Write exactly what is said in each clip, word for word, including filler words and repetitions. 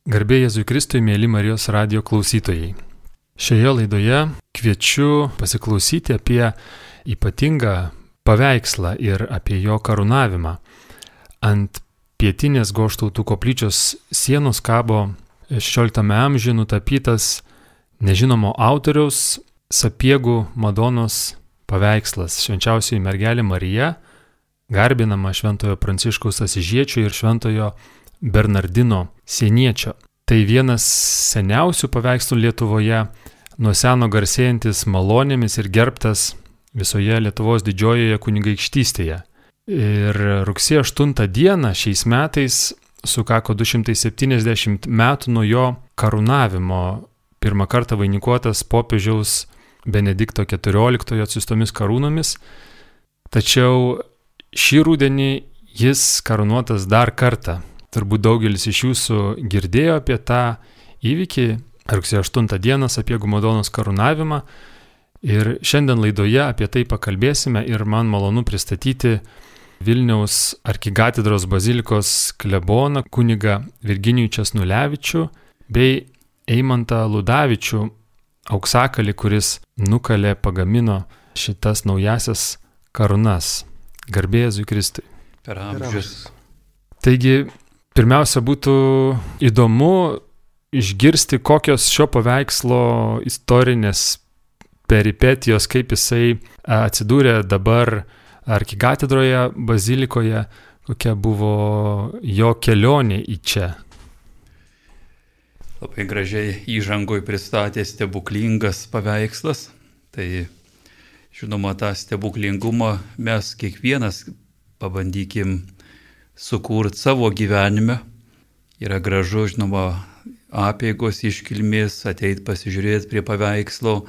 Garbė Jėzui Kristui, mėly Marijos radijo klausytojai. Šioje laidoje kviečiu pasiklausyti apie ypatingą paveikslą ir apie jo karūnavimą. Ant pietinės Goštautų koplyčios sienos kabo šešioliktame amžiuje nutapytas nežinomo autoriaus Sapiegų Madonos paveikslas Švenčiausioji mergelė Marija, garbinama Šventojo Pranciškaus Asyžiečio ir Šventojo Bernardino Sieniečio. Tai vienas seniausių paveikslų Lietuvoje, nuo seno garsėjantis malonėmis ir gerbtas visoje Lietuvos didžiojoje kunigaikštystėje. Ir rugsėjo aštuntą dieną šiais metais sukako du šimtai septyniasdešimt metų nuo jo karūnavimo, pirmą kartą vainikuotas popiežiaus Benedikto keturioliktojo atsiųstomis karūnomis. Tačiau šį rudenį jis karūnuotas dar kartą. Turbūt daugelis iš jūsų girdėjo apie tą įvykį, rugsėjo aštuntą dieną Sapiegų Madonos karūnavimą. Ir šiandien laidoje apie tai pakalbėsime ir man malonu pristatyti Vilniaus arkikatedros bazilikos kleboną kunigą Virginijų Česnulevičių bei Eimantą Ludavičių, auksakalį, kuris nukalė, pagamino šitas naujasias karūnas. Garbė Jėzui Kristui. Per amžius. Taigi, pirmiausia, būtų įdomu išgirsti, kokios šio paveikslo istorinės peripetijos, kaip jisai atsidūrė dabar arkikatedroje, bazilikoje, kokia buvo jo kelionė į čia. Labai gražiai įžangoj pristatė stebuklingas paveikslas. Tai, žinoma, tą stebuklingumą mes kiekvienas pabandykim sukurti savo gyvenime. Yra gražu, žinoma, apeigos iškilmės, ateit pasižiūrėti prie paveikslo,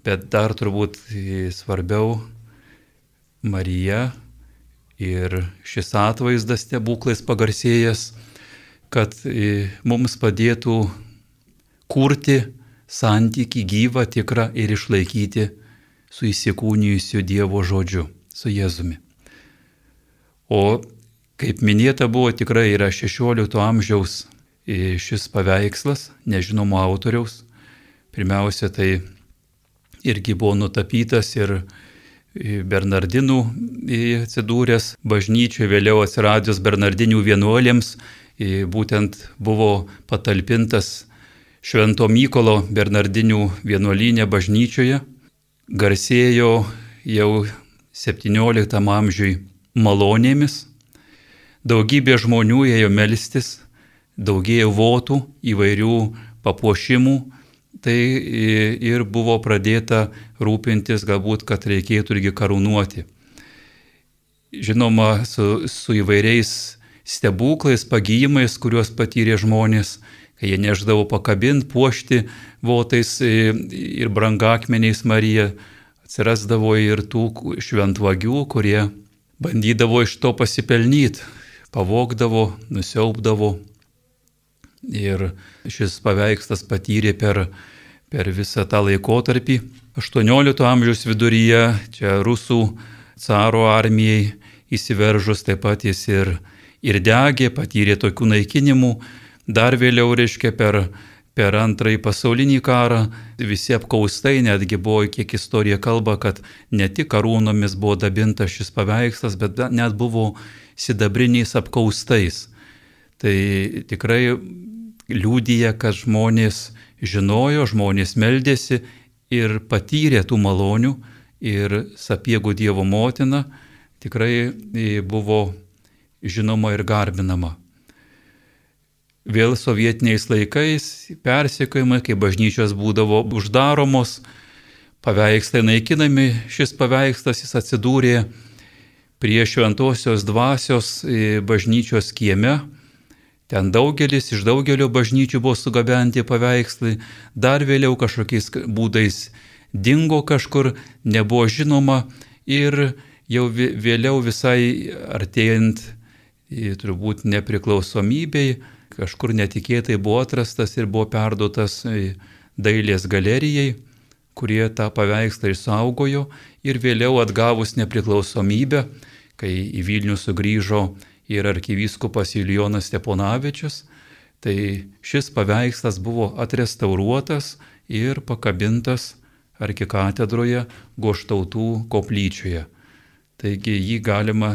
bet dar turbūt svarbiau Marija ir šis atvaizdas stebuklais pagarsėjęs, kad mums padėtų kurti santykį gyvą, tikrą ir išlaikyti su įsikūnijusiu Dievo žodžiu, su Jėzumi. O kaip minėta buvo, tikrai yra šešiolikto amžiaus šis paveikslas, nežinomo autoriaus. Pirmiausia, tai irgi buvo nutapytas ir Bernardinų atsidūręs bažnyčioje, vėliau atsiradęs Bernardinių vienuolėms, būtent buvo patalpintas Švento Mykolo Bernardinių vienuolyne bažnyčioje. Garsėjo jau septynioliktam amžiui malonėmis. Daugybė žmonių ėjo melstis, daugėjo votų, įvairių papuošimų. Tai ir buvo pradėta rūpintis, galbūt, kad reikėtų irgi karūnuoti. Žinoma, su, su įvairiais stebuklais, pagijimais, kuriuos patyrė žmonės, kai jie neždavo pakabinti, puošti votais ir brangakmeniais Mariją, atsirasdavo ir tų šventvagių, kurie bandydavo iš to pasipelnyti, pavogdavo, nusiaubdavo. Ir šis paveikslas patyrė per, per visą tą laikotarpį. aštuoniolikto amžiaus viduryje, čia rusų caro armijai įsiveržus, taip pat jis ir, ir degė, patyrė tokių naikinimų. Dar vėliau, reiškia, per, per antrąjį pasaulinį karą visi apkaustai, netgi buvo, kiek istorija kalba, kad ne tik karūnomis buvo dabintas šis paveikslas, bet net buvo sidabriniais apkaustais. Tai tikrai liudija, kad žmonės žinojo, žmonės meldėsi ir patyrė tų malonių, ir Sapiegų Dievo motina tikrai buvo žinoma ir garbinama. Vėl sovietiniais laikais persekiojimai, kai bažnyčios būdavo uždaromos, paveikslai naikinami, šis paveikslas jis atsidūrė prie Šventosios Dvasios bažnyčios kieme. Ten daugelis, iš daugelio bažnyčių buvo sugabenti paveikslai, dar vėliau kažkokiais būdais dingo kažkur, nebuvo žinoma ir jau vėliau visai artėjant turbūt nepriklausomybei, kažkur netikėtai buvo atrastas ir buvo perduotas dailės galerijai, kurie tą paveikslą išsaugojo ir vėliau atgavus nepriklausomybę, kai į Vilnių sugrįžo ir arkivyskupas Julijonas Steponavičius, Tai šis paveikslas buvo atrestauruotas ir pakabintas arkikatedroje Goštautų koplyčioje. Taigi jį galima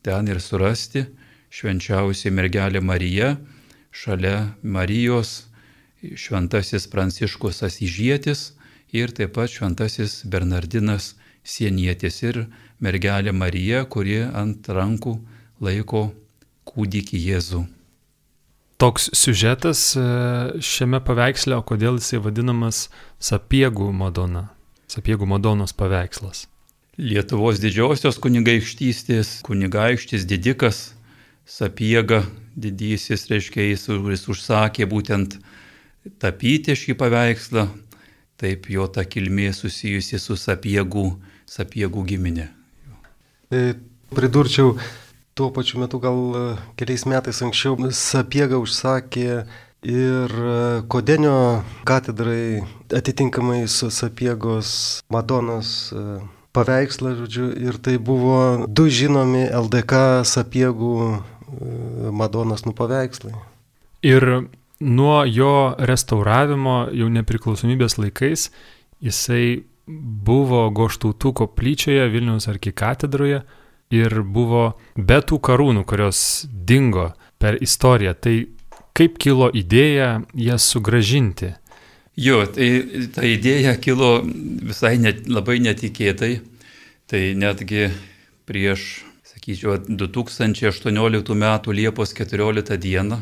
ten ir surasti, švenčiausia mergelė Marija, šalia Marijos šventasis Pranciškus Asyžietis ir taip pat šventasis Bernardinas Sienietis ir mergelė Marija, kuri ant rankų laiko kūdikį Jėzų. Toks siužetas šiame paveiksle, o kodėl jisai vadinamas Sapiegų Madona, Sapiegų Madonos paveikslas? Lietuvos didžiosios kunigaikštystės kunigaikštis didikas Sapiega didysis, reiškia, jis užsakė būtent tapyti šį paveikslą, taip jo ta kilmė susijusi su Sapiegų, Sapiegų giminė. Pridurčiau, tuo pačiu metu gal keliais metais anksčiau Sapiega užsakė ir Kodenio katedrai atitinkamai su Sapiegos Madonos paveikslą, žodžiu, ir tai buvo du žinomi L D K Sapiegų Madonos nupaveikslai. Ir nuo jo restauravimo jau nepriklausomybės laikais jisai buvo Goštautų koplyčioje Vilniaus arkikatedroje ir buvo be tų karūnų, kurios dingo per istoriją. Tai kaip kilo idėja jas sugrąžinti? Jo, tai ta idėja kilo visai net, labai netikėtai. Tai netgi prieš, sakyčiau, du tūkstančiai aštuonioliktų metų Liepos keturioliktą dieną,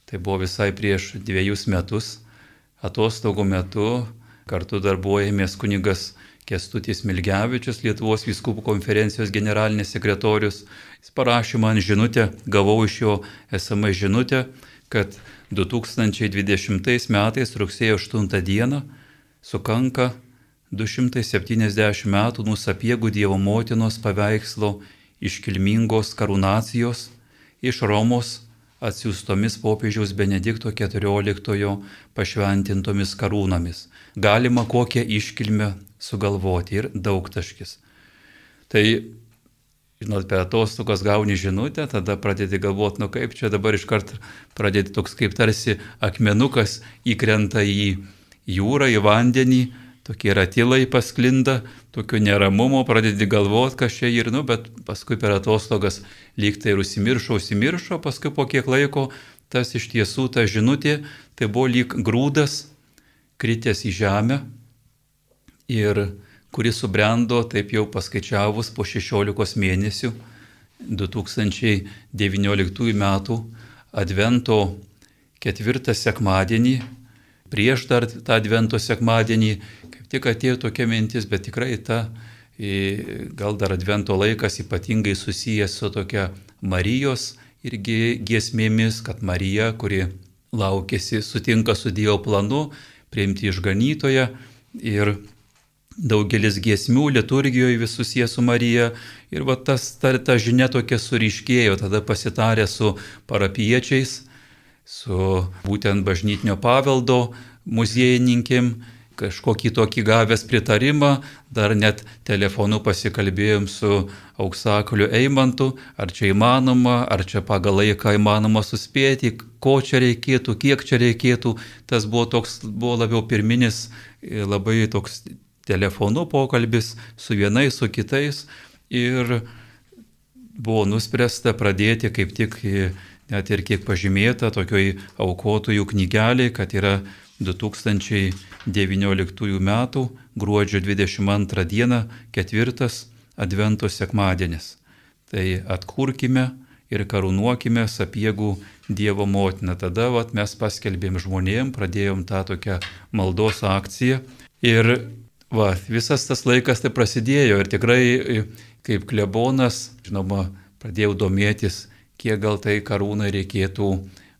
tai buvo visai prieš dviejus metus, atostogų metu kartu darbuojamės kunigas Kęstutis Milgevičius, Lietuvos vyskupų konferencijos generalinis sekretorius. Jis parašė man žinutę, gavau iš jo S M S žinutę, kad du tūkstančiai dvidešimtais metais rugsėjo aštuntą dieną sukanka du šimtai septyniasdešimt metų nuo Sapiegų Dievo motinos paveikslo iškilmingos karūnacijos iš Romos atsiųstomis popiežiaus Benedikto keturioliktojo pašventintomis karūnomis. Galima kokią iškilmę sugalvoti ir daugtaškis. Tai, žinot, per atostogas gauni žinutę, tada pradėti galvoti, nu kaip čia dabar iškart pradėti toks kaip tarsi akmenukas įkrenta į jūrą, į vandenį, tokie ratilai pasklinda, tokio neramumo, pradėti galvoti, kas čia ir, nu, bet paskui per atostogas lyg tai ir užsimiršo, užsimiršo, paskui po kiek laiko tas iš tiesų ta žinutė, tai buvo lyg grūdas kritęs į žemę ir kuris subrendo, taip jau paskaičiavus, po šešiolikos mėnesių, du tūkstančiai devynioliktųjų metų Advento ketvirtą sekmadienį, prieš dar tą Advento sekmadienį, kaip tik atėjo tokia mintis, bet tikrai ta, gal dar Advento laikas ypatingai susijęs su tokia Marijos irgi giesmėmis, kad Marija, kuri laukėsi, sutinka su Dievo planu, priimti išganytoją ir daugelis giesmių liturgijoje vis susiję su Marija. Ir va tas, ta, ta žinia tokia suriškėjo, tada pasitarė su parapiečiais, su būtent bažnytinio paveldo muziejininkėm, kažkokį tokį gavęs pritarimą, dar net telefonu pasikalbėjom su auksakaliu Eimantu, ar čia įmanoma, ar čia pagal laiką įmanoma suspėti, ko čia reikėtų, kiek čia reikėtų. Tas buvo toks, buvo labiau pirminis, labai toks telefonu pokalbis su vienais, su kitais ir buvo nuspręsta pradėti kaip tik, net ir kiek pažymėta, tokioj aukotojų knygelė, kad yra du tūkstančiai devynioliktųjų metų gruodžio dvidešimt antrą dieną ketvirtas Advento sekmadienis. Tai atkurkime ir karūnuokime Sapiegų Dievo motiną. Tada vat, mes paskelbėm žmonėm, pradėjom tą tokią maldos akciją ir va, visas tas laikas tai prasidėjo ir tikrai kaip klebonas, žinoma, pradėjau domėtis, kiek gal tai karūnai reikėtų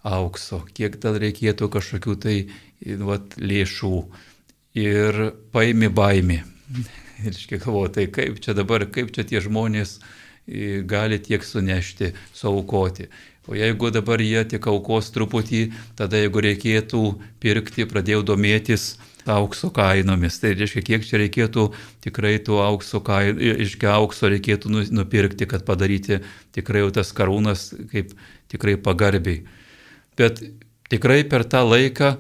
aukso, kiek gal reikėtų kažkokių tai vat, lėšų ir paimi baimį. Ir iškiek galvoju, tai kaip čia dabar, kaip čia tie žmonės gali tiek sunešti, suaukoti. O jeigu dabar jie tik aukos truputį, tada jeigu reikėtų pirkti, pradėjau domėtis aukso kainomis. Tai reiškia, kiek čia reikėtų tikrai tų aukso kainų, iškia aukso reikėtų nupirkti, kad padaryti tikrai jau tas karūnas kaip tikrai pagarbiai. Bet tikrai per tą laiką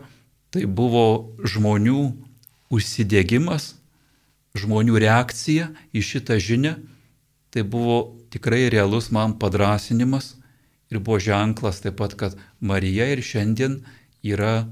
tai buvo žmonių užsidėgymas, žmonių reakcija į šitą žinią. Tai buvo tikrai realus man padrasinimas ir buvo ženklas taip pat, kad Marija ir šiandien yra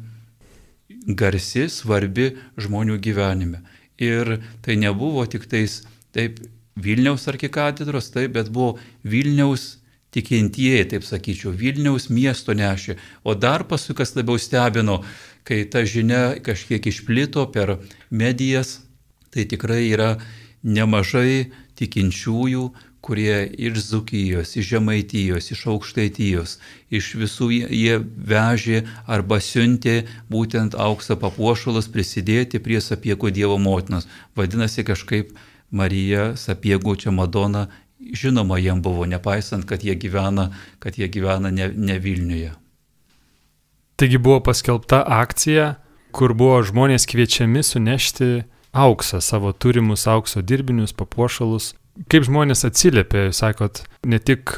garsi, svarbi žmonių gyvenime. Ir tai nebuvo tik tais taip Vilniaus arkikatedros, taip, bet buvo Vilniaus tikintieji, taip sakyčiau, Vilniaus miesto nešė. O dar paskui, kas labiau stebino, kai ta žinia kažkiek išplito per medijas, tai tikrai yra nemažai tikinčiųjų, kurie iš Dzūkijos, iš Žemaitijos, iš Aukštaitijos, iš visų jie vežė arba siuntė būtent aukso papuošalus prisidėti prie Sapiegų Dievo motinos. Vadinasi, kažkaip Marija, Sapiegų čia Madona, žinoma jiem buvo, nepaisant, kad jie gyvena, kad jie gyvena ne, ne Vilniuje. Taigi buvo paskelbta akcija, kur buvo žmonės kviečiami sunešti auksą, savo turimus aukso dirbinius, papuošalus. Kaip žmonės atsiliepė, jūs sakot, ne tik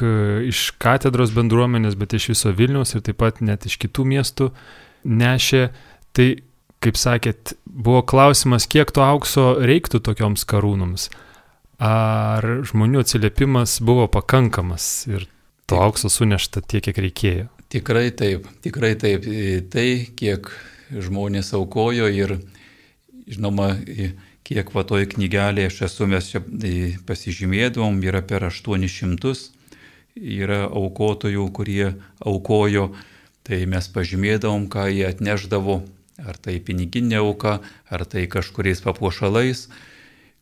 iš katedros bendruomenės, bet iš viso Vilniaus ir taip pat net iš kitų miestų nešė. Tai, kaip sakėt, buvo klausimas, kiek to aukso reiktų tokioms karūnoms. Ar žmonių atsiliepimas buvo pakankamas ir to aukso sunešta tiek, kiek reikėjo? Tikrai taip, tikrai taip. Tai, kiek žmonės aukojo ir, žinoma, kiek va toj knygelėje aš esu, mes čia pasižymėdavom, yra per aštuonis šimtus, yra aukotojų, kurie aukojo, tai mes pažymėdavom, ką jie atneždavo, ar tai piniginė auka, ar tai kažkuriais papuošalais,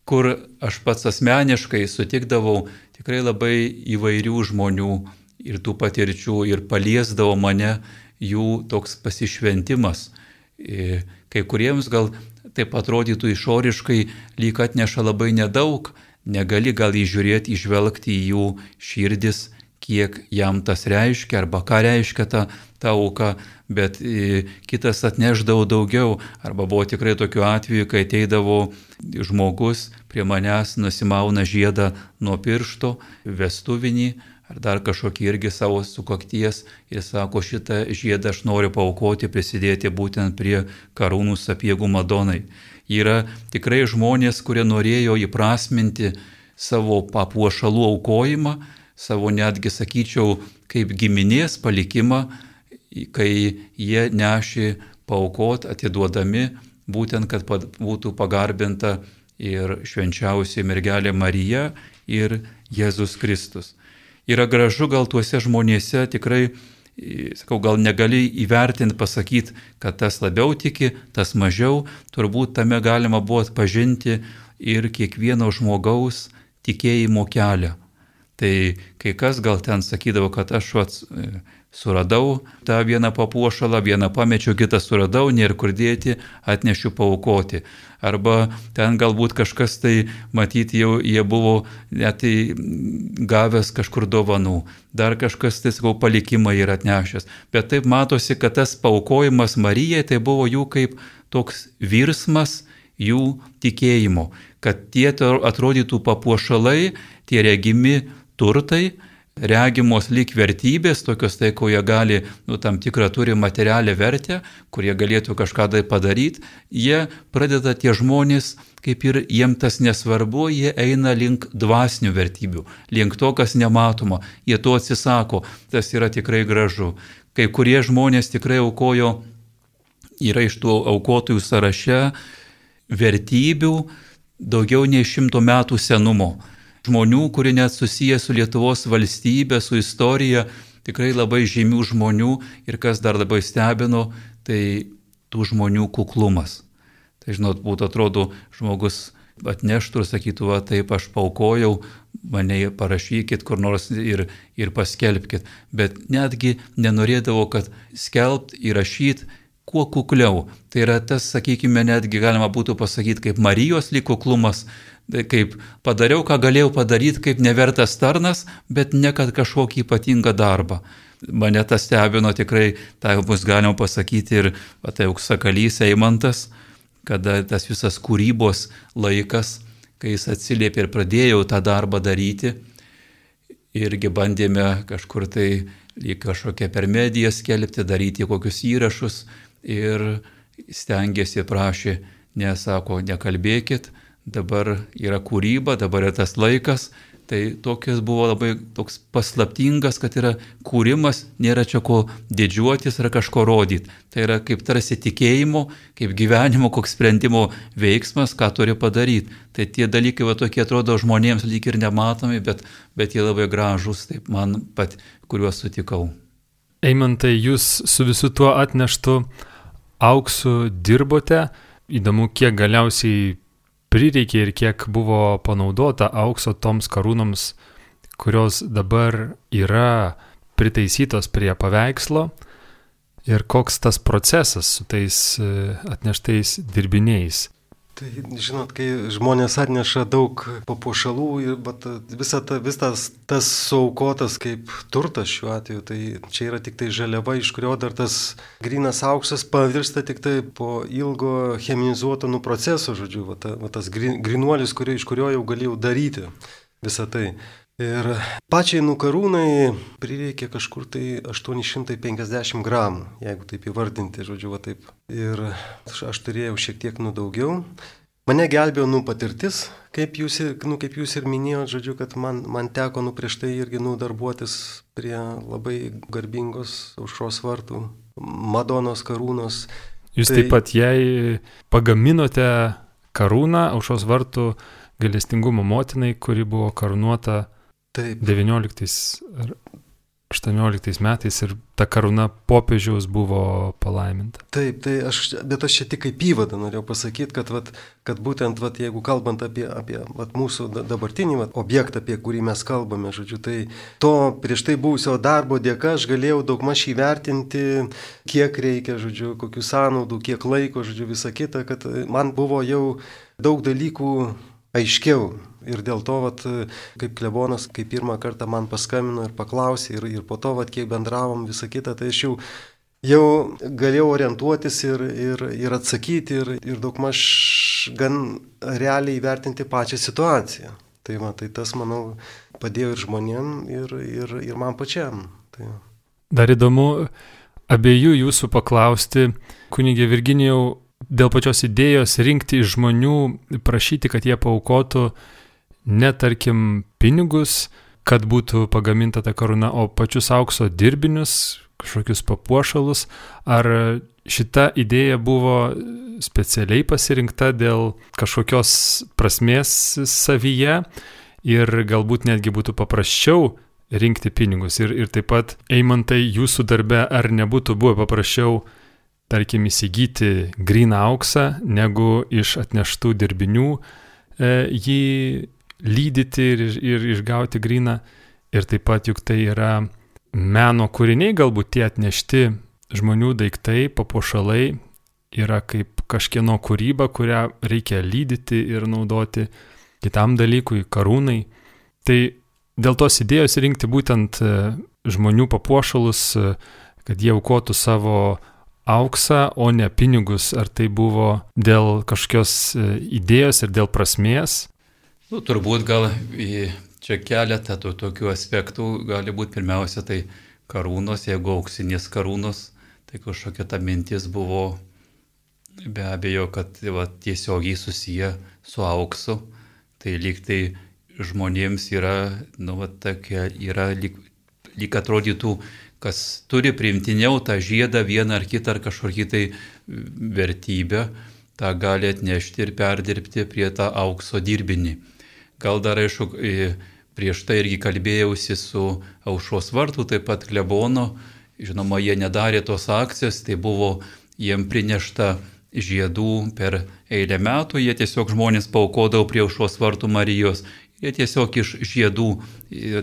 kur aš pats asmeniškai sutikdavau tikrai labai įvairių žmonių ir tų patirčių ir paliesdavo mane jų toks pasišventimas. Kai kuriems gal taip atrodytų išoriškai, lyg atneša labai nedaug, negali gal įžiūrėti, įžvelgti į jų širdis, kiek jam tas reiškia arba ką reiškia ta, ta auka, bet e, kitas atneždavo daugiau. Arba buvo tikrai tokių atvejų, kai ateidavo žmogus prie manęs, nusimauna žiedą nuo piršto, vestuvinį, ar dar kažkokį irgi savo sukakties ir sako, šitą žiedą aš noriu paaukoti, prisidėti būtent prie karūnų Sapiegų Madonai. Yra tikrai žmonės, kurie norėjo įprasminti savo papuošalų aukojimą, savo netgi, sakyčiau, kaip giminės palikimą, kai jie nešė paaukot, atiduodami, būtent, kad būtų pagarbinta ir švenčiausia mergelė Marija ir Jėzus Kristus. Yra gražu gal tuose žmonėse, tikrai, sakau, gal negali įvertinti, pasakyti, kad tas labiau tiki, tas mažiau, turbūt tame galima buvo atpažinti ir kiekvieno žmogaus tikėjimo kelią. Tai kai kas gal ten sakydavo, kad aš vat, suradau tą vieną papuošalą, vieną pamečiau, kitą suradau, nėra kur dėti, atnešiu paaukoti. Arba ten galbūt kažkas tai, matyti, jau jie buvo net gavęs kažkur dovanų. Dar kažkas, tai sakau, palikimą yra atnešęs. Bet taip matosi, kad tas paaukojimas Marijai, tai buvo jų kaip toks virsmas jų tikėjimo. Kad tie atrodytų papuošalai, tie regimi turtai, regimos lyg vertybės, tokios tai, ko jie gali, nu, tam tikrą turi materialę vertę, kurie galėtų kažką tai padaryti, jie pradeda tie žmonės, kaip ir jiem tas nesvarbu, jie eina link dvasinių vertybių, link to, kas nematoma, jie to atsisako, tas yra tikrai gražu. Kai kurie žmonės tikrai aukojo, yra iš tų aukotojų sąraše vertybių daugiau nei šimto metų senumo. Žmonių, kurie net susiję su Lietuvos valstybė, su istorija, tikrai labai žymių žmonių ir kas dar labai stebino, tai tų žmonių kuklumas. Tai, žinot, būtų atrodo, žmogus atneštų ir sakytų, va, taip aš paaukojau, mane parašykit kur nors ir, ir paskelbkit. Bet netgi nenorėdavo, kad skelbt ir rašyt kuo kukliau. Tai yra tas, sakykime, netgi galima būtų pasakyti, kaip Marijos lyg kuklumas, kaip padariau, ką galėjau padaryti, kaip nevertas tarnas, bet ne kad kažkokį ypatingą darbą. Mane tas stebino tikrai, tai bus galima pasakyti ir va, tai Auksakalys Eimantas, kada tas visas kūrybos laikas, kai jis atsiliepė ir pradėjau tą darbą daryti, irgi bandėme kažkur tai lyg kažkokia per mediją skelbti, daryti kokius įrašus ir stengiasi, prašė, nesako, nekalbėkit, dabar yra kūryba, dabar yra tas laikas. Tai tokias buvo labai toks paslaptingas, kad yra kūrimas, nėra čia ko didžiuotis ar kažko rodyti. Tai yra kaip tarsi tikėjimo, kaip gyvenimo, koks sprendimo veiksmas, ką turi padaryti. Tai tie dalykai va tokie atrodo žmonėms lyg ir nematomi, bet, bet jie labai gražus, taip man pat, kuriuos sutikau. Eimantai, jūs su visu tuo atneštu auksu dirbote. Įdomu, kiek galiausiai prireikė ir kiek buvo panaudota aukso toms karūnoms, kurios dabar yra pritaisytos prie paveikslo, ir koks tas procesas su tais atneštais dirbiniais. Tai žinot, kai žmonės atneša daug papuošalų, bet visa ta, visas tas suaukotas kaip turtas šiuo atveju, tai čia yra tik tai žaliava, iš kurio dar tas grynas auksas pavirsta tik tai po ilgo cheminizuoto nu proceso, žodžiu, va, ta, va tas grinuolis, kurio, iš kurio jau galėjau daryti visą tai. Ir pačiai nukarūnai prireikė kažkur tai aštuoni šimtai penkiasdešimt gramų, jeigu taip įvardinti, žodžiu, va taip. Ir aš, aš turėjau šiek tiek nu daugiau. Mane gelbėjo nu patirtis, kaip jūs, nu, kaip jūs ir minėjote, žodžiu, kad man, man teko nu prieš tai irgi nu darbuotis prie labai garbingos Aušros vartų Madonos karūnos. Jūs tai... taip pat jai pagaminote karūną Aušros vartų gailestingumo motinai, kuri buvo karūnuota Taip. devynioliktais ar aštuonioliktais metais ir ta karūna popiežiaus buvo palaiminta. Taip, tai aš, bet aš čia tik kaip įvadą norėjau pasakyti, kad, vat, kad būtent, vat, jeigu kalbant apie, apie vat, mūsų dabartinį vat, objektą, apie kurį mes kalbame, žodžiu, tai to prieš tai buvusio darbo dėka aš galėjau daugmaž įvertinti, kiek reikia, žodžiu, kokių sąnaudų, kiek laiko, žodžiu, visa kita, kad man buvo jau daug dalykų aiškiau. Ir dėl to, vat, kaip klebonas, kai pirmą kartą man paskambino ir paklausė, ir, ir po to, vat, kiek bendravom visą kitą, tai aš jau, jau galėjau orientuotis ir, ir, ir atsakyti, ir, ir daugmaž gan realiai įvertinti pačią situaciją. Tai, va, tai tas, manau, padėjo ir žmonėm, ir, ir, ir man pačiam. Tai... Dar įdomu abiejų jūsų paklausti, kunigė Virginijau, dėl pačios idėjos rinkti iš žmonių, prašyti, kad jie paaukotų ne tarkim pinigus, kad būtų pagaminta ta karūna, o pačius aukso dirbinius, kažkokius papuošalus. Ar šita idėja buvo specialiai pasirinkta dėl kažkokios prasmės savyje ir galbūt netgi būtų paprasčiau rinkti pinigus? Ir, ir taip pat, Eimantai, jūsų darbe ar nebūtų buvę paprasčiau, tarkim, įsigyti gryną auksą, negu iš atneštų dirbinių e, jį lydyti ir, ir išgauti gryną. Ir taip pat juk tai yra meno kūriniai, galbūt tie atnešti žmonių daiktai, papuošalai, yra kaip kažkieno kūryba, kurią reikia lydyti ir naudoti kitam dalykui, karūnai. Tai dėl tos idėjos rinkti būtent žmonių papuošalus, kad jie aukotų savo auksą, o ne pinigus. Ar tai buvo dėl kažkokios idėjos ir dėl prasmės? Nu, turbūt gal čia keletą tų tokių aspektų gali būti. Pirmiausia, tai karūnos, jeigu auksinės karūnos, tai kažkokia ta mintis buvo be abejo, kad va, tiesiogiai susiję su auksu. Tai lyg tai žmonėms yra, nu, va, tokia, yra lyg, lyg atrodytų, kas turi priimtiniau tą žiedą vieną ar kitą ar kažkokį tai vertybę, tą gali atnešti ir perdirbti prie tą aukso dirbinį. Gal dar, aišku, prieš tai irgi kalbėjausi su Aušros vartų, taip pat klebono. Žinoma, jie nedarė tos akcijos, tai buvo jiem prinešta žiedų per eilę metų. Jie tiesiog žmonės paaukodavo prie Aušros vartų Marijos. Jie tiesiog iš žiedų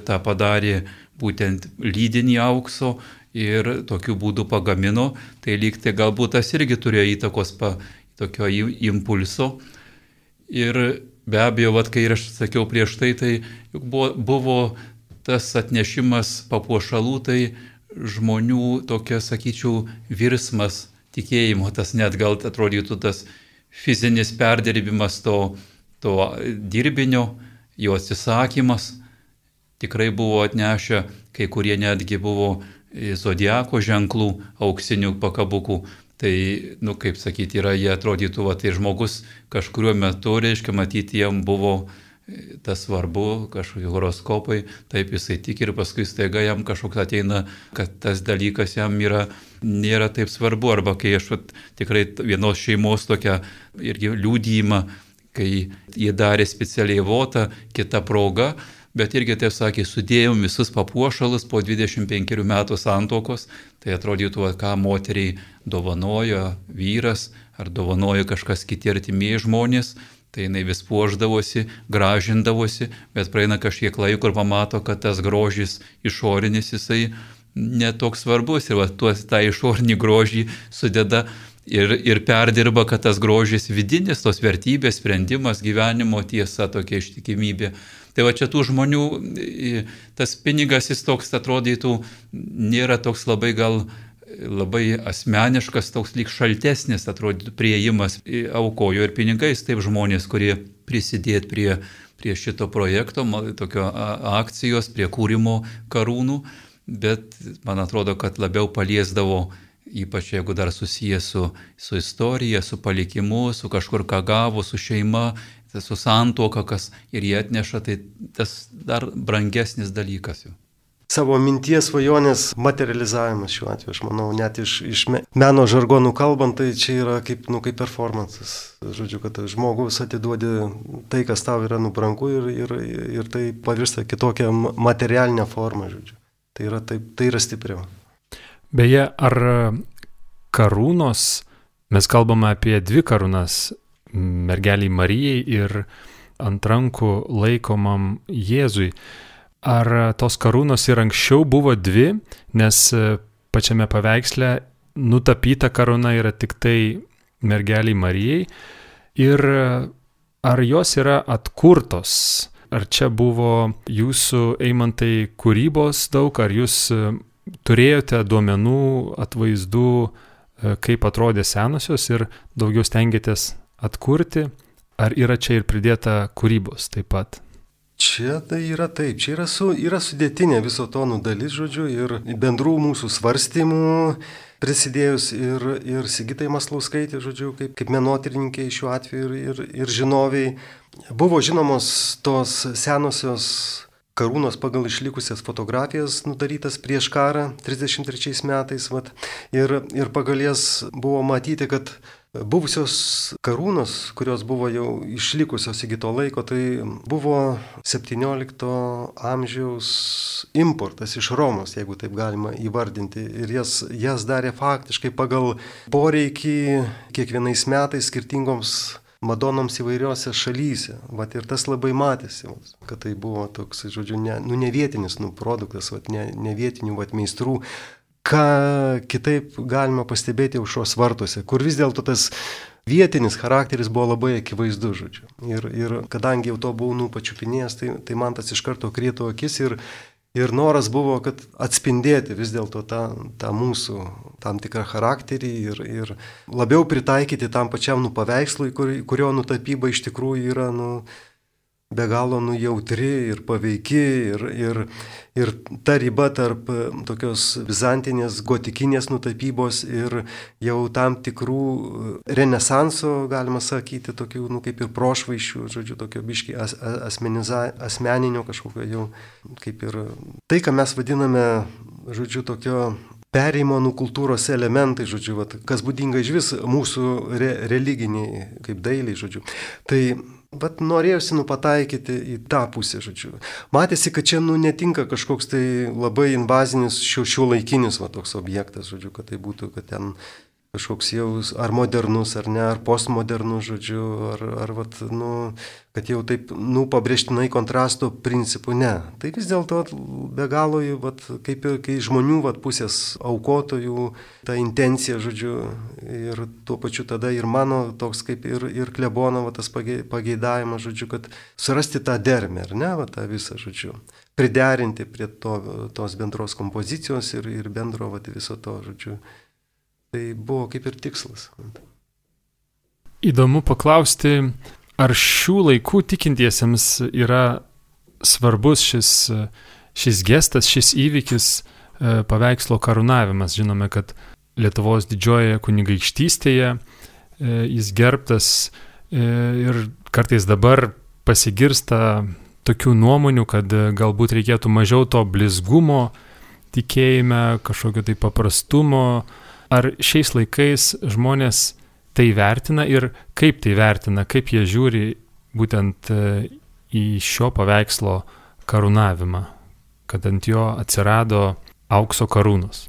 tą padarė būtent lydinį aukso ir tokiu būdu pagamino. Tai lyg tai galbūt tas irgi turėjo įtakos pa, tokio impulso. Ir be abejo, vat, kai aš sakiau prieš tai, tai juk buvo, buvo tas atnešimas papuošalų, tai žmonių tokia, sakyčiau, virsmas tikėjimo, tas net gal atrodytų tas fizinis perdirbimas to, to dirbinio, jo atsisakymas. Tikrai buvo atnešę, kai kurie netgi buvo zodiako ženklų, auksinių pakabukų. Tai, nu, kaip sakyti, yra, jie atrodytų, va, tai žmogus kažkuriuo metu, reiškia, matyti, jam buvo tas svarbu, kažkokie horoskopai, taip jisai tik ir paskui staiga jam kažkoks ateina, kad tas dalykas jam yra, nėra taip svarbu. Arba kai aš vat, tikrai vienos šeimos tokią irgi liudijimą, kai jie darė specialiai votą, kita proga, bet irgi, taip sakė, sudėjom visus papuošalus po dvidešimt penkerių metų santuokos, tai atrodytų, ką moteriai dovanojo vyras, ar dovanojo kažkas kiti artimieji žmonės, tai jinai vis puošdavosi, gražindavosi, bet praeina kažkiek laiko ir pamato, kad tas grožis išorinis jisai netoks svarbus ir va, tuos, tą išorinį grožį sudeda ir, ir perdirba, kad tas grožis vidinis, tos vertybės, sprendimas, gyvenimo tiesa, tokia ištikimybė. Tai va čia tų žmonių, tas pinigas jis toks atrodytų, nėra toks labai gal labai asmeniškas, toks lyg šaltesnis, atrodytų, priėjimas, aukojo ir pinigais, taip žmonės, kurie prisidėt prie, prie šito projekto, tokio akcijos, prie kūrimo karūnų, bet man atrodo, kad labiau paliesdavo, ypač jeigu dar susijęs su, su istorija, su palikimu, su kažkur ką gavo, su šeima, su santuoka, kas ir jie atneša, tai tas dar brangesnis dalykas jau. Savo minties svajonės materializavimas šiuo atveju, aš manau, net iš, iš meno žargonų kalbant, tai čia yra kaip, nu, kaip performances. Žodžiu, kad žmogus atiduodi tai, kas tau yra nubrangu ir, ir, ir tai pavirsta kitokią materialinę formą, žodžiu. Tai yra, taip, tai yra stipriau. Beje, ar karūnos, mes kalbame apie dvi karūnas, mergeliai Marijai ir ant rankų laikomam Jėzui. Ar tos karūnos ir anksčiau buvo dvi, nes pačiame paveiksle nutapyta karūna yra tik tai mergeliai Marijai, ir ar jos yra atkurtos? Ar čia buvo jūsų, Eimantai, kūrybos daug, ar jūs turėjote duomenų, atvaizdų, kaip atrodė senosios ir daugiau stengiatės atkurti, ar yra čia ir pridėta kūrybos taip pat? Čia tai yra taip, čia yra, su, yra sudėtinė viso to dalis, žodžiu, ir bendrų mūsų svarstymų prisidėjus ir, ir Sigitai Maslauskaitė, žodžiu, kaip, kaip menotyrininkai šiuo atveju ir, ir, ir žinoviai. Buvo žinomos tos senosios karūnos pagal išlikusias fotografijas nudarytas prieš karą, trisdešimt trečiais metais, vat, ir, ir pagal jas buvo matyti, kad buvusios karūnos, kurios buvo jau išlikusios iki to laiko, tai buvo septyniolikto amžiaus importas iš Romos, jeigu taip galima įvardinti. Ir jas, jas darė faktiškai pagal poreikį kiekvienais metais skirtingoms Madonoms įvairiose šalyse. Vat, ir tas labai matėsi, kad tai buvo toks, žodžiu, ne, nu, ne vietinis nu, produktas, vat, ne, ne vietinių vat, meistrų. Ką kitaip galima pastebėti aušros vartuose, kur vis dėlto tas vietinis charakteris buvo labai akivaizdus, žodžiu. Ir, ir kadangi jau to buvau nu, pačiupinėjęs, tai, tai man tas iš karto krito akis ir, ir noras buvo, kad atspindėti vis dėlto tą, tą mūsų tam tikrą charakterį ir, ir labiau pritaikyti tam pačiam nu, paveikslui, kur, kurio nutapyba iš tikrųjų yra nu, be galo nu, jautri ir paveiki ir, ir, ir ta riba tarp tokios bizantinės, gotikinės nutapybos ir jau tam tikrų renesanso, galima sakyti, tokių nu, kaip ir prošvaišių, žodžiu, tokio biški as, asmeniza, asmeninio kažkokio jau, kaip ir tai, ką mes vadiname, žodžiu, tokio perėjimo nuo kultūros elementai, žodžiu, vat, kas būdinga iš vis mūsų re, religiniai, kaip dailiai, žodžiu. Tai vat norėjusi nu pataikyti į tą pusę, žodžiu. Matėsi, kad čia nu netinka kažkoks tai labai invazinis šio, šio laikinis va, toks objektas, žodžiu, kad tai būtų, kad ten kažkoks jau ar modernus, ar ne, ar postmodernus, žodžiu, ar, ar vat, nu, kad jau taip, nu, pabrėžtinai kontrasto principų, ne. Tai vis dėlto be galo, vat, kaip ir kai žmonių vat, pusės aukotojų, ta intencija, žodžiu, ir tuo pačiu tada ir mano toks kaip ir, ir klebono vat, tas pageidavimas, žodžiu, kad surasti tą dermę, ar ne, vat, tą visą, žodžiu, priderinti prie to, tos bendros kompozicijos ir, ir bendro vat, viso to, žodžiu. Tai buvo kaip ir tikslas. Įdomu paklausti, ar šių laikų tikintiesiems yra svarbus šis, šis gestas, šis įvykis, paveikslo karūnavimas. Žinome, kad Lietuvos didžiojoje kunigaikštystėje jis gerbtas ir kartais dabar pasigirsta tokių nuomonių, kad galbūt reikėtų mažiau to blizgumo tikėjime, kažkokio tai paprastumo. Ar šiais laikais žmonės tai vertina ir kaip tai vertina, kaip jie žiūri būtent į šio paveikslo karūnavimą, kad ant jo atsirado aukso karūnos?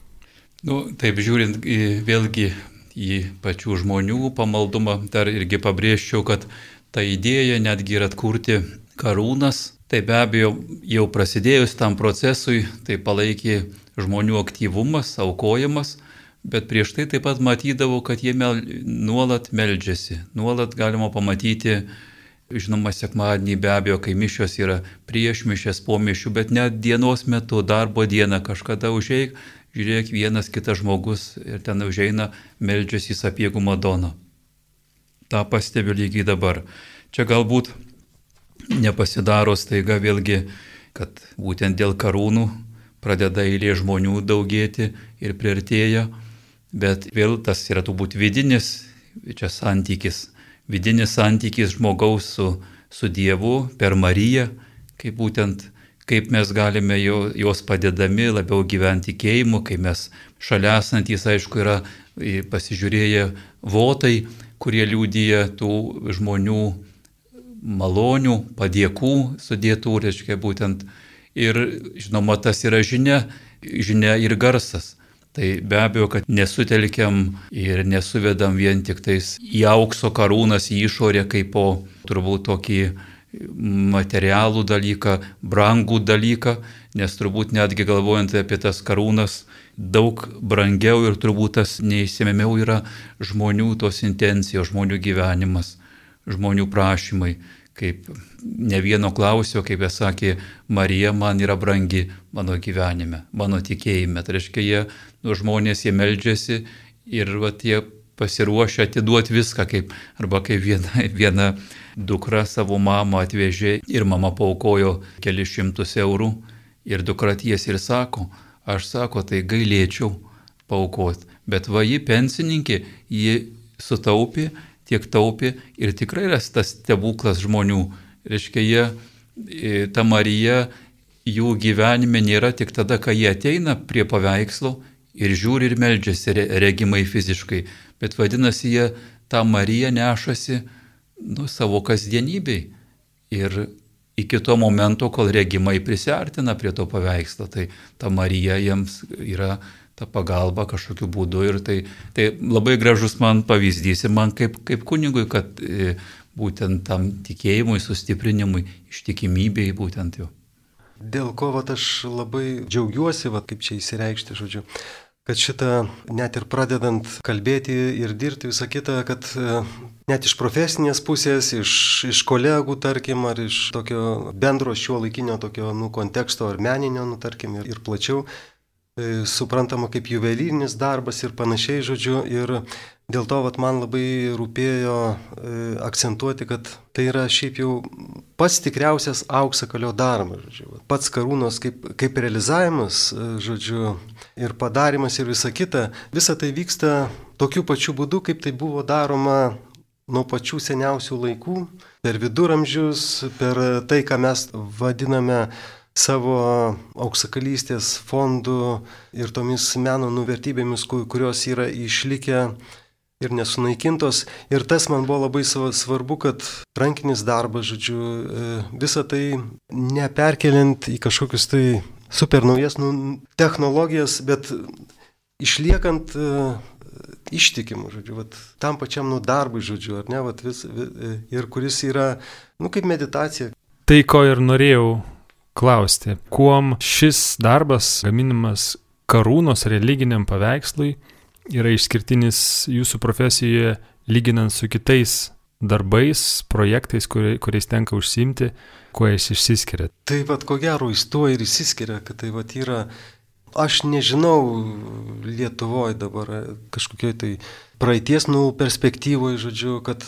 Nu, taip žiūrint į, vėlgi į pačių žmonių pamaldumą, dar irgi pabrėžčiau, kad ta idėja netgi ir atkurti karūnas, tai be abejo jau prasidėjus tam procesui, tai palaikė žmonių aktyvumas, aukojimas, bet prieš tai taip pat matydavau, kad jie mel, nuolat meldžiasi, nuolat galima pamatyti, žinoma, sekmadienį be abejo, kai mišios yra prieš mišės, po mišių, bet net dienos metu, darbo dieną kažkada užeik, žiūrėk, vienas kitas žmogus ir ten užeina, meldžiasi į Sapiegų Madoną. Ta pastebiu lygiai dabar. Čia galbūt nepasidaro staiga vėlgi, kad būtent dėl karūnų pradeda eilė žmonių daugėti ir priartėja, bet vėl tas yra turbūt vidinis, čia santykis, vidinis santykis žmogaus su, su Dievu per Mariją, kaip būtent kaip mes galime jo, jos padedami labiau gyventi tikėjimu, kai mes šalia esantys, aišku, yra pasižiūrėję votai, kurie liudyja tų žmonių malonių, padėkų sudėtų, reiškia būtent. Ir žinoma, tas yra žinia, žinia ir garsas. Tai be abejo, kad nesutelkiam ir nesuvedam vien tik tais į aukso karūnas, į išorę kaip po turbūt tokį materialų dalyką, brangų dalyką, nes turbūt netgi galvojant apie tas karūnas, daug brangiau ir turbūt tas neįsimėmiau yra žmonių tos intencijos, žmonių gyvenimas, žmonių prašymai. Kaip ne vieno klausiau, kaip jie sakė, Marija man yra brangi mano gyvenime, mano tikėjime. Tai reiškia, jie, nu, žmonės, jie meldžiasi ir va, jie pasiruošę atiduoti viską, kaip, arba kaip viena, viena dukra savo mamą atvežė ir mama paaukojo kelius šimtus eurų ir dukra tiesiai ir sako, aš sako, tai gailėčiau paaukoti, bet va ji pensininkė, ji sutaupė, tiek taupė ir tikrai yra tas stebuklas žmonių. Reiškia, jie, ta Marija, jų gyvenime nėra tik tada, kai jie ateina prie paveikslo ir žiūri ir meldžiasi regimai fiziškai, bet vadinasi, jie tą Mariją nešasi nu, savo kasdienybei ir iki to momento, kol regimai prisiartina prie to paveikslo, tai ta Marija jiems yra ta pagalba kažkokiu būdu ir tai, tai labai gražus man pavyzdys ir man kaip, kaip kunigui, kad e, būtent tam tikėjimui, sustiprinimui, ištikimybei būtent jo. Dėl ko vat, aš labai džiaugiuosi, vat, kaip čia įsireikšti, žodžiu, kad šitą net ir pradedant kalbėti ir dirbti visą kitą, kad net iš profesinės pusės, iš, iš kolegų, tarkim, ar iš tokio bendro šiuolaikinio tokio nu, konteksto ar meninio, nu, tarkim, ir, ir plačiau, e, suprantama kaip juvelyrinis darbas ir panašiai, žodžiu, ir dėl to vat, man labai rūpėjo e, akcentuoti, kad tai yra šiaip jau pats tikriausias auksakalio darbas, žodžiu, pats karūnos kaip, kaip realizavimas, žodžiu, ir padarimas ir visa kita, visa tai vyksta tokiu pačiu būdu, kaip tai buvo daroma nuo pačių seniausių laikų, per viduramžius, per tai, ką mes vadiname savo auksakalystės fondų ir tomis meno nuvertybėmis, kurios yra išlikę ir nesunaikintos. Ir tas man buvo labai svarbu, kad rankinis darbas, žodžiu, visą tai neperkeliant į kažkokius tai super naujas nu, technologijas, bet išliekant uh, ištikimų, žodžiu, vat, tam pačiam nu, darbui, žodžiu, ar ne, vat, vis, vis, ir kuris yra, nu, kaip meditacija. Tai, ko ir norėjau klausti, kuom šis darbas, gaminimas karūnos religiniam paveikslui, yra išskirtinis jūsų profesijoje, lyginant su kitais darbais, projektais, kurie, kuriais tenka užsiimti, kuo jis išsiskiria? Tai vat, ko gero, jis tuo ir išsiskiria, kad tai vat yra, aš nežinau Lietuvoje dabar kažkokioj tai praeities nu, perspektyvoje, žodžiu, kad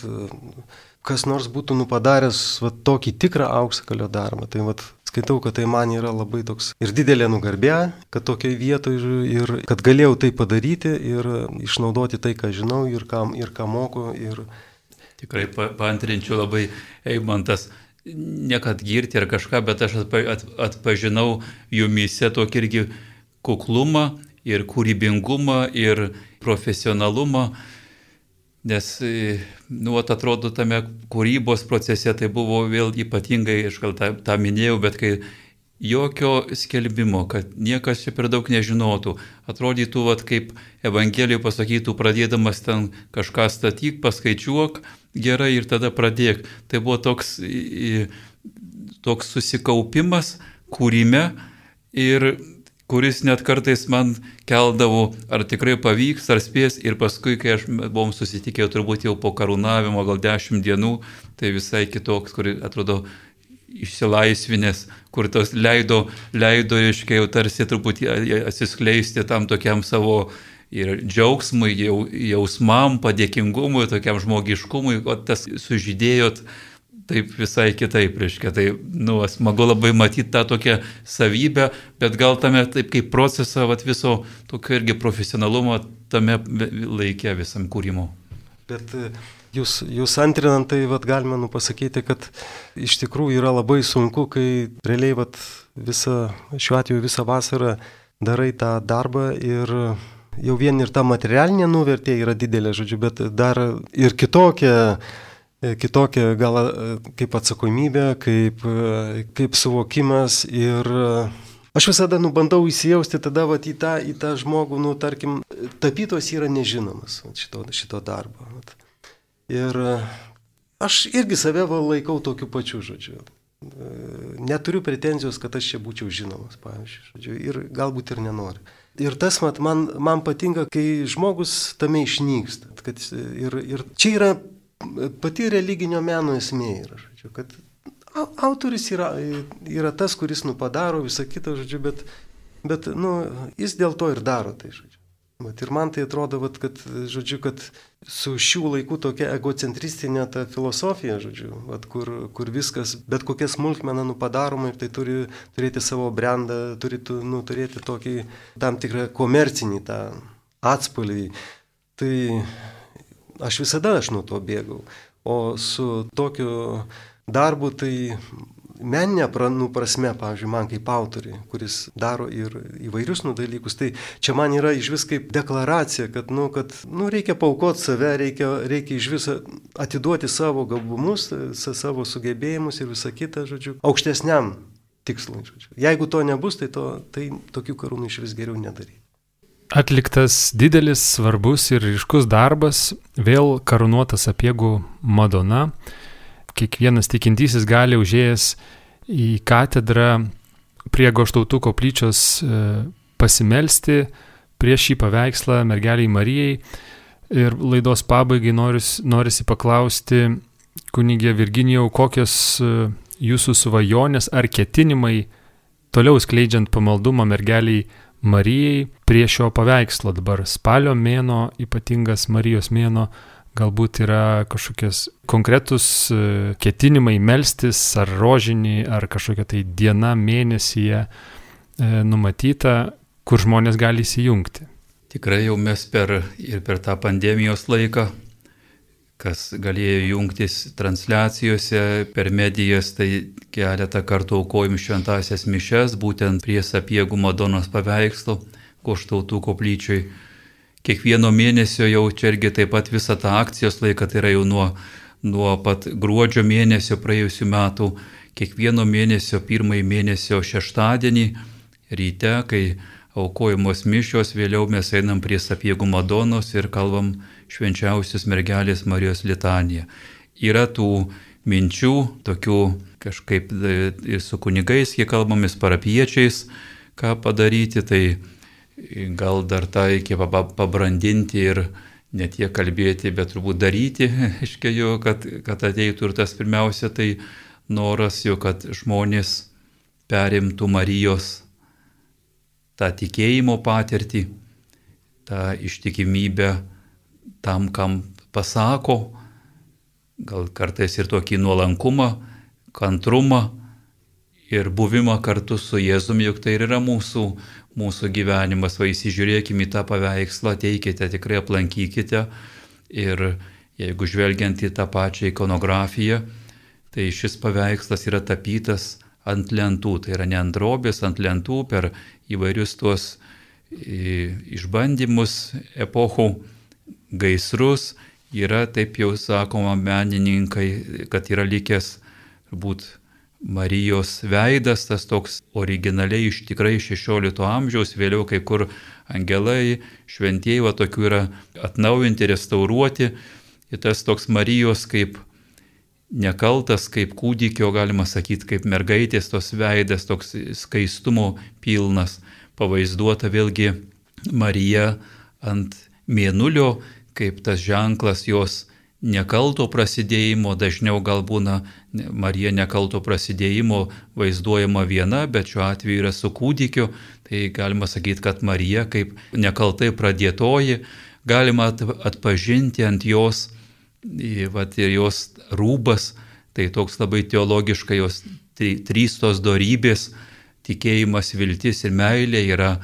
kas nors būtų nu, padaręs vat, tokį tikrą auksakalio darbą. Tai vat, skaitau, kad tai man yra labai toks ir didelė nugarbė, kad tokiai vietoje ir kad galėjau tai padaryti ir išnaudoti tai, ką žinau ir ką, ir ką moku. Ir... Tikrai pa, paantrinčiau labai, Eimantas, ne kad girti ar kažką, bet aš atpa, at, atpažinau jumyse tokį irgi kuklumą ir kūrybingumą ir profesionalumą. Nes, nu, atrodo, tame kūrybos procese tai buvo vėl ypatingai, aš gal tą, tą minėjau, bet kai jokio skelbimo, kad niekas čia per daug nežinotų, atrodytų, vat, kaip Evangelijoje pasakytų, pradėdamas ten kažką statyk, paskaičiuok gerai ir tada pradėk. Tai buvo toks, toks susikaupimas kūrime ir kuris net kartais man keldavo, ar tikrai pavyks, ar spės. Ir paskui, kai aš buvom susitikę turbūt jau po karūnavimo, gal dešimt dienų, tai visai kitoks, kur atrodo išsilaisvinęs, kur tos leido, leido iškai jau tarsi truputį atsiskleisti tam tokiam savo ir džiaugsmui, jau, jausmam, padėkingumui, tokiam žmogiškumui, o tas sužydėjot taip visai kitaip, reiškia. Tai, nu, smagu labai matyti tą tokią savybę, bet gal tame taip kaip procesą vat, viso tokio irgi profesionalumo tame laike visam kūrimo. Bet jūs, jūs antrinant, tai vat, galima nu, pasakyti, kad iš tikrųjų yra labai sunku, kai realiai vat, visą, šiuo atveju visą vasarą darai tą darbą ir jau vien ir ta materialinė nuvertė yra didelė, žodžiu, bet dar ir kitokia kitokia gal kaip atsakomybė, kaip, kaip suvokimas ir aš visada nu, bandau įsijausti tada vat, į, tą, į tą žmogų, nu, tarkim, tapytojas yra nežinomas šito, šito darbo. Vat. Ir aš irgi save laikau tokiu pačiu, žodžiu. Neturiu pretenzijos, kad aš čia būčiau žinomas, pavyzdžiui, žodžiu, ir galbūt ir nenoriu. Ir tas mat, man, man patinka, kai žmogus tame išnyksta. Kad, ir, ir čia yra pati religinio meno esmė yra, žodžiu, kad autorius yra, yra tas, kuris nu, padaro visą kitą, žodžiu, bet, bet nu, jis dėl to ir daro tai, žodžiu. Bet ir man tai atrodo, vat, kad, žodžiu, kad su šių laikų tokia egocentristinė ta filosofija, žodžiu, vat, kur, kur viskas, bet kokia smulkmena nu, padaroma ir tai turi turėti savo brandą, turi nu, turėti tokį tam tikrą komercinį tą atspalvį. Tai aš visada aš nuo to bėgau, o su tokiu darbu tai meninė nu, prasme, pavyzdžiui, man kaip autoriui, kuris daro ir įvairius nu, dalykus, tai čia man yra iš vis kaip deklaracija, kad, nu, kad nu, reikia paaukoti save, reikia, reikia iš viso atiduoti savo gabumus, savo sugebėjimus ir visą kitą, žodžiu, aukštesniam tikslui. Žodžiu. Jeigu to nebus, tai, to, tai tokių karūnų iš vis geriau nedaryti. Atliktas didelis, svarbus ir ryškus darbas, vėl karūnuotas Sapiegų Madona. Kiekvienas tikintysis gali užėjęs į katedrą prie Goštautų koplyčios pasimelsti prieš šį paveikslą mergeliai Marijai. Ir laidos pabaigai noris, norisi paklausti, kunigė Virginijau, kokios jūsų svajonės ar ketinimai toliau skleidžiant pamaldumą mergeliai Marijai prie šio paveikslo. Dabar spalio mėno, ypatingas Marijos mėno, galbūt yra kažkokias konkretus ketinimai melstis, ar rožinį, ar kažkokia tai diena mėnesyje numatyta, kur žmonės gali įsijungti. Tikrai jau mes per, ir per tą pandemijos laiką, kas galėjo jungtis transliacijose per medijas, tai keletą kartų aukojom šventąsias mišes, būtent prie Sapiegų Madonos paveikslo Goštautų koplyčioj. Kiekvieno mėnesio jau čia irgi taip pat visą tą akcijos laiką, tai yra jau nuo, nuo pat gruodžio mėnesio praėjusių metų, kiekvieno mėnesio pirmąjį mėnesio šeštadienį ryte, kai aukojamos mišios, vėliau mes einam prie Sapiegų Madonos ir kalbam švenčiausios mergelės Marijos litaniją. Yra tų minčių, tokių kažkaip ir su kunigais, kiek kalbamės parapiečiais, ką padaryti, tai gal dar tą reikia pabrandinti ir ne tiek kalbėti, bet turbūt daryti, aiškiai jo, kad, kad ateitų ir tas pirmiausia, tai noras jo, kad žmonės perimtų Marijos tą tikėjimo patirtį, tą ištikimybę tam, kam pasako, gal kartais ir tokį nuolankumą, kantrumą ir buvimą kartu su Jėzumi, juk tai ir yra mūsų, mūsų gyvenimas. Va, įsižiūrėkime į tą paveikslą, ateikite, tikrai aplankykite. Ir jeigu žvelgiant į tą pačią ikonografiją, tai šis paveikslas yra tapytas ant lentų. Tai yra ne ant drobės, ant lentų per įvairius tuos išbandymus, epochų, gaisrus. Yra, taip jau sakoma, menininkai, kad yra likęs būt Marijos veidas, tas toks originaliai iš tikrai šešiolikto amžiaus, vėliau kai kur angelai, šventieji, va tokių yra atnaujinti, restauruoti. Ir tas toks Marijos kaip nekaltas, kaip kūdikio, galima sakyti, kaip mergaitės tos veidas, toks skaistumo pilnas, pavaizduota vėlgi Marija ant mėnulio, kaip tas ženklas jos nekalto prasidėjimo. Dažniau gal būna Marija nekalto prasidėjimo vaizduojama viena, bet šiuo atveju yra su kūdikiu. Tai galima sakyti, kad Marija kaip nekaltai pradėtoji, galima atpažinti ant jos, vat, ir jos rūbas, tai toks labai teologiškai jos trys tos dorybės, tikėjimas, viltis ir meilė yra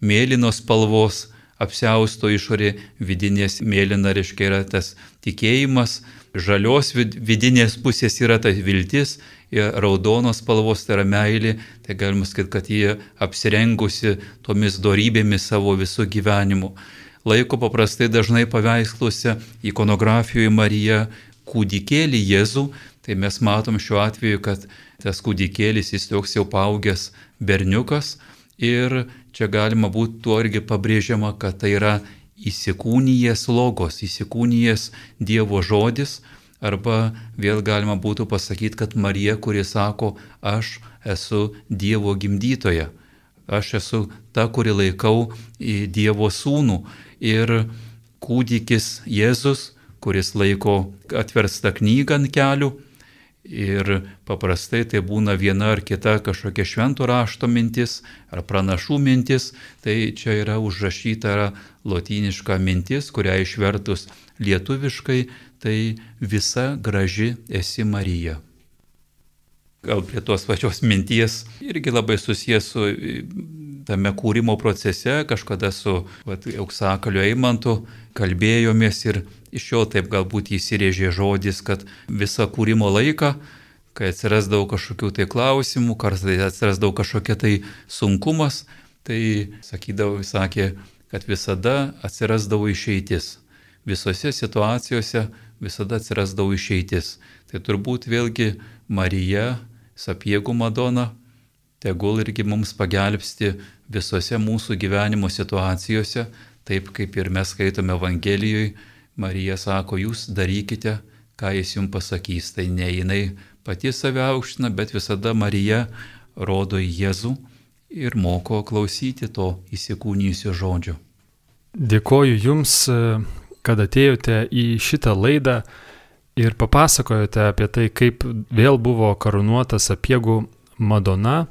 mėlynos spalvos, apsiausto išorė, vidinės mėlyna, reiškia, yra tas tikėjimas, žalios vidinės pusės yra ta viltis, raudonos spalvos tai yra meilė, tai galima sakyti, kad jie apsirengusi tomis dorybėmis savo visų gyvenimu. Laiko paprastai dažnai paveiksluose ikonografijoje Marija kūdikėlį Jėzų, tai mes matom šiuo atveju, kad tas kūdikėlis jis toks jau paaugęs berniukas. Ir čia galima būtų tuo irgi pabrėžiama, kad tai yra įsikūnijęs logos, įsikūnijęs Dievo žodis, arba vėl galima būtų pasakyti, kad Marija, kuri sako, aš esu Dievo gimdytoja, aš esu ta, kuri laikau Dievo sūnų. Ir kūdikis Jėzus, kuris laiko atverstą knygą ant kelių, ir paprastai tai būna viena ar kita kažkokia švento rašto mintis ar pranašų mintis, tai čia yra užrašyta lotyniška mintis, kurią išvertus lietuviškai, tai visa graži esi Marija. Gal prie tos pačios minties irgi labai susijęs su tame kūrimo procese, kažkada su vat, Auksakaliu Eimantu kalbėjomės ir iš jo taip galbūt įsirėžė žodis, kad visą kūrimo laiką, kai atsirasdavo kažkokių tai klausimų, kartais atsirasdavo kažkokia tai sunkumas, tai sakydavo, sakė, kad visada atsirasdavo išeitis. Visose situacijose visada atsirasdavo išeitis. Tai turbūt vėlgi Marija, Sapiegų Madona, tegul irgi mums pagelbsti visose mūsų gyvenimo situacijose, taip kaip ir mes skaitome Evangelijoje. Marija sako, jūs darykite, ką jis jums pasakys. Tai ne jinai pati save aukština, bet visada Marija rodo į Jėzų ir moko klausyti to įsikūnijusio žodžio. Dėkoju Jums, kad atėjote į šitą laidą ir papasakojote apie tai, kaip vėl buvo karūnuota Sapiegų Madona.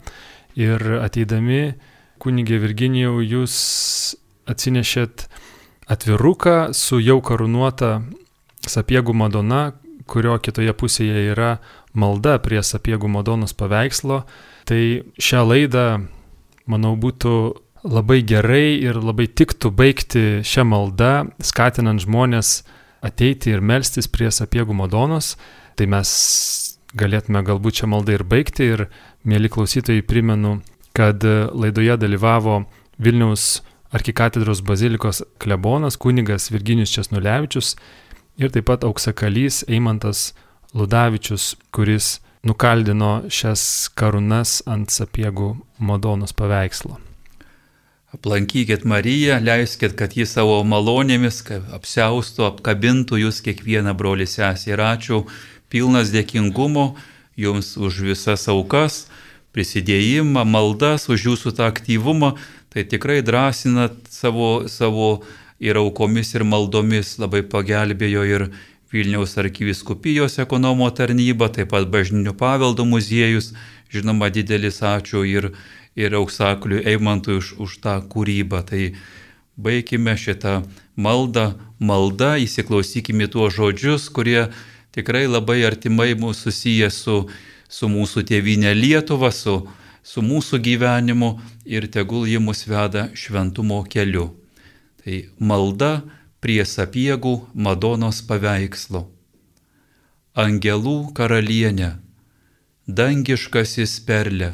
Ir ateidami, kunigė Virginijau, jūs atsinešėt atviruką su jau karūnuota Sapiegų Madona, kurio kitoje pusėje yra malda prie Sapiegų Madonos paveikslo. Tai šią laidą, manau, būtų labai gerai ir labai tiktų baigti šią maldą, skatinant žmonės ateiti ir melstis prie Sapiegų Madonos. Tai mes galėtume galbūt šią maldą ir baigti. Ir, mėly klausytojai, primenu, kad laidoje dalyvavo Vilniaus arkikatedros bazilikos klebonas kunigas Virginijus Česnulevičius ir taip pat auksakalys Eimantas Ludavičius, kuris nukaldino šias karūnas ant Sapiegų Madonos paveikslo. Aplankykit Mariją, leiskit, kad ji savo malonėmis apsiaustų, apkabintų jūs kiekvieną brolį sesę. Ir ačiū, pilnas dėkingumo jums už visas aukas, prisidėjimą, maldas, už jūsų tą aktyvumą. Tai tikrai drąsinat savo, savo ir aukomis, ir maldomis. Labai pagelbėjo ir Vilniaus arkivyskupijos ekonomo tarnyba, taip pat Bažnytinio paveldo muziejus. Žinoma, didelis ačiū ir, ir Auksakaliui Eimantui už, už tą kūrybą. Tai baikime šitą maldą, maldą, įsiklausykime tuos žodžius, kurie tikrai labai artimai mūsų susiję su, su mūsų tėvynė Lietuva, su, su mūsų gyvenimu ir tegul ji mus veda šventumo keliu. Tai malda prie Sapiegų Madonos paveikslo. Angelų karalienė, dangiškasis perle,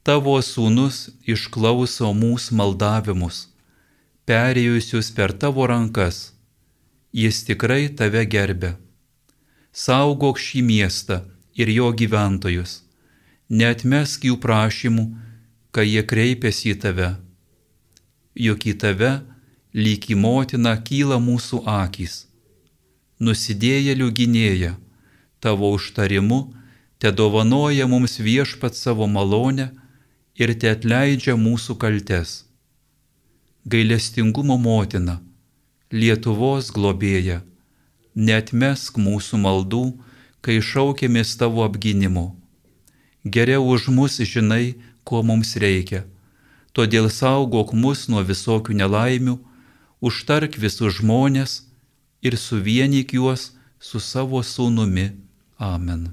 tavo sūnus išklauso mūsų maldavimus, perėjusius per tavo rankas, jis tikrai tave gerbia. Saugok šį miestą ir jo gyventojus, neatmesk jų prašymų, kai jie kreipiasi į tave. Juk į tave, lyg į motiną, kyla mūsų akys. Nusidėjėlių gynėja, tavo užtarimu te dovanoja mums viešpat savo malonę ir te atleidžia mūsų kaltes. Gailestingumo motina, Lietuvos globėja, neatmesk mūsų maldų, kai šaukėmės tavo apgynimo. Geriau už mus žinai, ko mums reikia, todėl saugok mus nuo visokių nelaimių, užtark visus žmonės ir suvienyk juos su savo sūnumi. Amen.